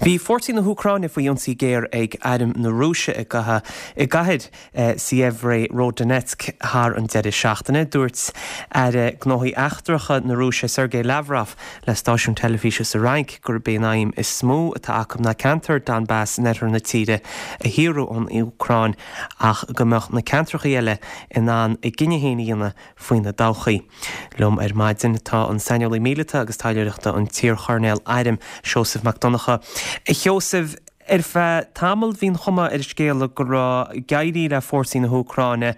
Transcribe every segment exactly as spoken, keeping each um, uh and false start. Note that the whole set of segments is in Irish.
Bhí fórsaí na hÚcráine faoi ionsaí géar ag airm na Rúise i i gcathair Sievierodonetsk thar an deireadh seachtaine. Dúirt aire gnóthaí eachtracha na Rúise Sergei Lavrov le stáisiún teilifíse sa Fhrainc gurb é an aidhm is mó atá acu ná ceantar Donbass in oirthear na tíre a shaoradh ón Úcráin ach go mbeadh na ceantracha eile in ann a gcinneadh féin a dhéanamh faoina dtodhchaí. Liom ar maidin tá an saineolaí míleata agus taidhleoireachta an t-iarchoirnéal airm Seosamh Mac Donncha. A Sheosaimh ar feadh tamaill bhí an chuma ar an scéal go raibh ag éirí le fórsaí na hÚcráine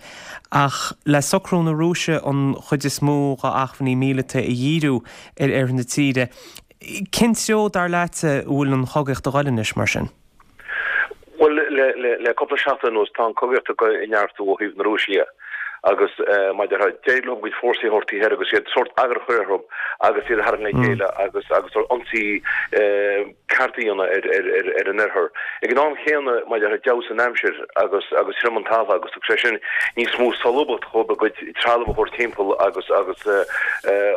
ach le socrú na Rúise an chuid is mó dá acmhainní míleata a dhíriú ar oirthear na tíre. Cén treo dar leat a bhfuil an chogaíocht ag dul anois mar sin? Well le le le cúpla seachtain anuas tá an chogaíocht ag neartú ó thaobh na Rúise agus maidir d'éirigh leo cuid fórsaí a thabhairt thoir agus iad sórt eagar a chur orthu agus iad a tharraingt le chéile agus agus ionsaí ceart a dhéanamh ar ar ar ar an oirthear. Ag an am chéanna maidir d'fheabhsaigh an aimsir agus agus thriom an talamh agus thug sé sin níos mó solúbthacht dhóibh a gcuid trealamh a thabhairt timpeall agus agus a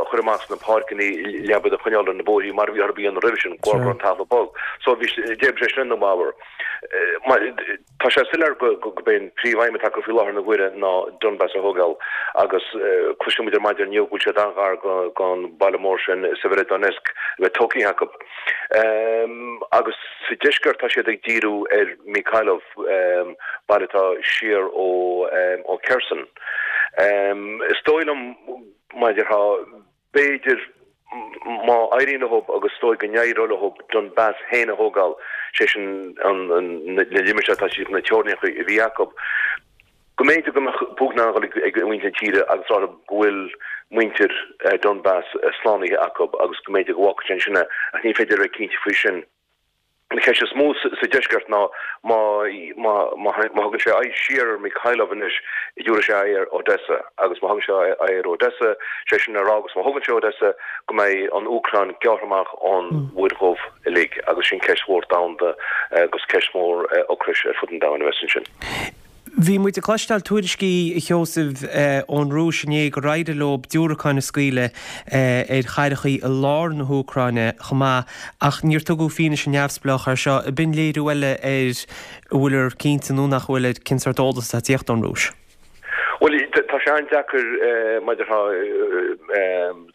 chur amach sna páirceanna le iad a choinneáil ar na bóithrí mar a bhí orthu a dhéanamh roimhe sin go raibh an talamh bog. So bhí d'oibrigh sé sin ina bhfabhar. Tá sé soiléir gurb é an príomhaidhm atá acu faoi láthair na huaire ná Donbass a thógáil agus cloiseann muid ar maidin inniu go bhfuil siad an-ghar don baile mór sin Severodonetsk a bheith tógtha acu. Agus sa deisceart tá siad ag díriú ar Mykolaiv, baile atá siar ó ó Kherson. Is dóigh liom maidir b'fhéidir má éiríonn leo agus is dóigh go n-éireoidh leo Donbass féin a thógáil, sé sin na limistéir atá siad na teorainneacha a bhí acu, go mb'fhéidir go mbeadh Putin in ann dul ag muintir na tíre agus rá go bhfuil muintir Donbass slánaithe acu agus go mb'fhéidir go bhfágfaidh sé ansin é ach ní féidir a bheith cinnte faoi sin. An cheist is mó sa deisceart ná má má má thugann sé aghaidh siar ar Mykolaiv anois, tabharfaidh sé aghaidh ar Odessa agus má thugann sé aghaidh ar Odessa, sé sin a rá agus má thugann sé Odessa go mbeidh an Úcráin gearrtha amach ón Mhuir Dhubh uilig agus sin ceist mhór domhanda agus ceist mhór ocrais ar fud an domhain a bheas ansin. Bhí muid ag cloisteáil tuairiscí a Sheosaimh ón Rúis inné gur éirigh leo diúracáin a scaoileadh ar chathracha i lár na hÚcráine chomh maith ach níor tugadh fianaise neamhspleách air seo. B'in léiriú eile ar a bhfuiltear cinnte nó nach bhfuil ar cén sórt eolas atá ag tíocht ón Rúis. Bhuel, tá sé an-deacair maidir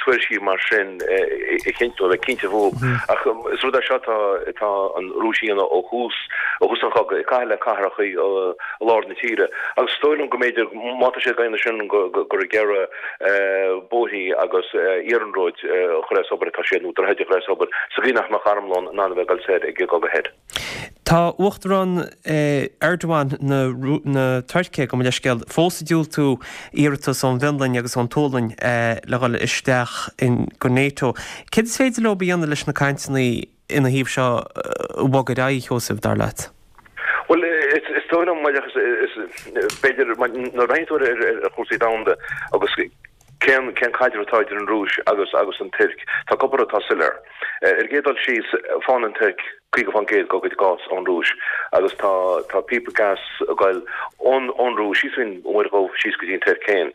tuairiscí mar sin a chinntiú, a bheith cinnte fúthu. Ach is rud é seo atá atá an Rúis a dhéanamh ó thús ó thús an chogaidh, ag caitheamh le cathracha i lár na tíre. Agus is dóigh liom go mb'fhéidir, má tá siad ag déanamh sin, gur ag iarraidh bóithrí agus iarnróid a chur as obair atá siad, nó droichid a chur as obair, sa gcaoi nach mbeadh armlón in ann a bheith ag dul soir ag an gcogadh thoir. Tá Uachtarán Erdogan na Tuirce, gabh mo leithscéal, fós ag diúltú iarratas ón bhFionlainn agus ón tSualainn le dhul isteach go NATO. Céard is féidir leo a dhéanamh leis na cainteanna ina thaobh seo a bhogadh ar aghaidh, a Sheosaimh, dar leat? Bhuel, is dóigh liom, b'fhéidir, nuair a bhreathnaíonn tú ar chúrsaí domhanda agus cén cén caidreamh atá idir an Rúis agus agus an Tuirc, tá cúpla rud atá soiléir. Ar an gcéad dul síos, faigheann an Tuirc caoga faoin gcéad dá gcuid gás ón Rúis agus tá tá píopa gas ag goil ón ón Rúis síos faoin Mhuir Dhubh síos go dtí an Tuirc féin.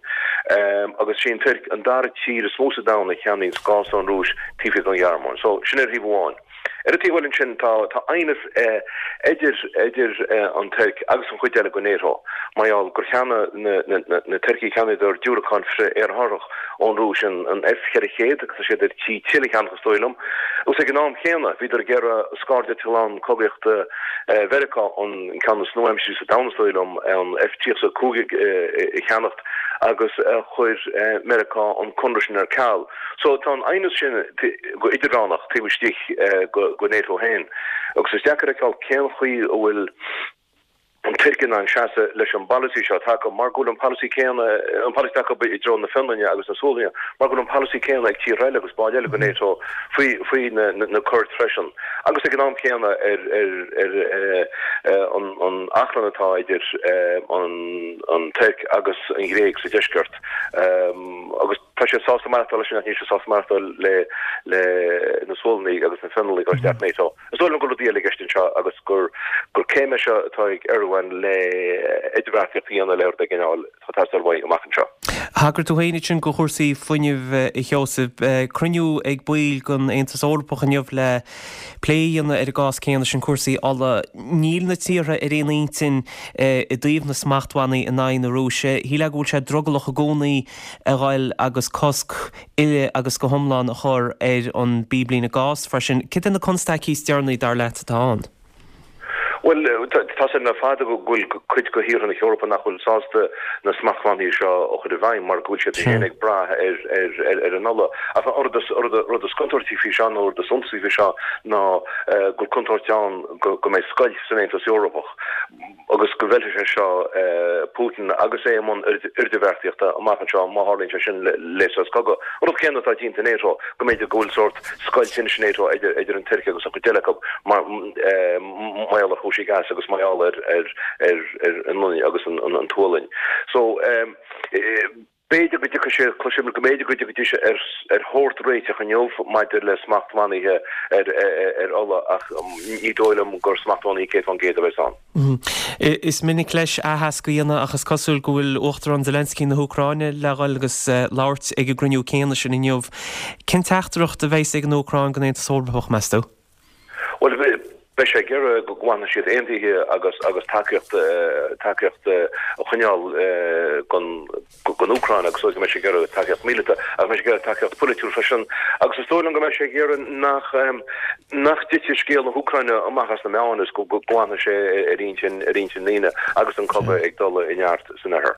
Agus sí an Tuirc an dara tír is mó sa domhan a cheannaíonns gás ón Rúis taobh thiar den Ghearmáin. So, sin ar thaobh amháin. Ar an taobh eile ansin tá tá aighneas idir idir an Tuirc agus an chuid eile de NATO mar gheall gur cheannaigh na na na Tuircigh cheannaíodar diúracán frith-aerárthach ón Rúis an an F ceithre chéad agus tá siad ar tí tuilleadh a cheannach is dóigh liom. Agus ag an am chéanna bhíodar ag iarraidh scairdeitleán cogaíochta Mheiriceá an ceann is nua-aimseartha sa domhan is dóigh liom an F tríocha a cúig a cheannacht agus chuir Meiriceá an conradh sin ar ceal. So tá an aighneas sin go idirmheánach taobh istigh go NATO féin agus is deacair a fheiceáil cén chaoi a bhfuil an Tuirc in ann seasamh leis an bpolasaí seo atá acu mar go bhfuil an polasaí céanna, an polasaí atá acu i dtreo na Fionlainne agus na Sualainne, mar go bhfuil an polasaí céanna ag tíortha eile agus baill eile go NATO faoi faoi na na Coird freisin agus ag an am céanna ar ar ar an an achrann atá idir an an Tuirc agus an Ghréig sa deisceart agus Tá siad sásta maireachtáil leis sin ach níl siad sásta maireachtáil le le na Sualannaigh agus na Fionlannaigh a chur isteach NATO. Is dóigh liom go bhfuil rudaí eile i gceist anseo agus gur gur céim é seo atá ag Erdogan le idirbheartaíocht a dhéanamh le rud éigin a fháil atá ag teastáil uaidh amach anseo. Thagair tú féin ansin go chúrsaí fuinnimh, a Sheosaimh. Cruinniú ag baill den Aontas Eorpach inniu le plé a dhéanamh ar an gcás céanna sin, cúrsaí ola. Níl na tíortha ar aon intinn i dtaobh na smachtbhannaí in aghaidh na Rúise. Shílfeá go bhfuil sé drogallach i gcónaí a ghoil agus cosc uile agus go hiomlán a chur ar an bpíblíne gáis freisin. Cad iad na constaicí is deireanaí, dar leat, atá ann? Bhuel, tá a fhios againn le fada go bhfuil cuid de thíortha na hEorpa nach bhfuil sásta na smachtbhannaí seo a chur i bhfeidhm mar go bhfuil siad féin ag brath ar an ola. Ach an rud is contúirtí faoi seo nó an rud is suntasaí faoi seo ná go bhfuil contúirt ann go mbeidh scoilt san Aontas Eorpach agus go bhfeilfidh sé seo Putin agus é i mbun idirbheartaíochta amach anseo má tharlaíonn sé sin le sos cogaidh. An rud céanna atá déanta i NATO, go mb'fhéidir go bhfuil sórt scoilt anois i NATO idir an Tuirc agus an chuid eile acu mar gheall ar chúrsaí gáis agus mar gheall ar ar an Fhionlainn agus an tSualainn. So b'fhéidir go dtiocfaidh sé, cloisim go mb'fhéidir go dtiocfaidís ar ar shórt réiteach inniu maidir le smachtbhannaí ar ar ola ach ní dóigh liom gur smachtbhannaí céad faoin gcéad a bheas ann. Is minic leis aitheasc a dhéanamh ach is cosúil go bhfuil Uachtarán Zelensky na hÚcráine le dhul agus labhairt ag an gcruinniú céanna sin inniu. Cén teachtaireacht a bheas ag an Úcráin don Aontas Eorpach, meas tú? Bhuel, beidh sé ag iarraidh go bhfanfaidh siad aontaithe agus agus tacaíocht tacaíocht a choinneáil don don Úcráin agus go mbeidh sé ag iarraidh tacaíocht míleata agus beidh sé ag iarraidh tacaíocht pholaitiúil freisin agus is dóigh liom go mbeidh sé ag iarraidh nach nach dtitfidh scéal na hÚcráine amach as na meáin is go go bhfanfaidh sé ar intinn ar intinn ndaoine agus an cogadh ag dul i neart san oirthear.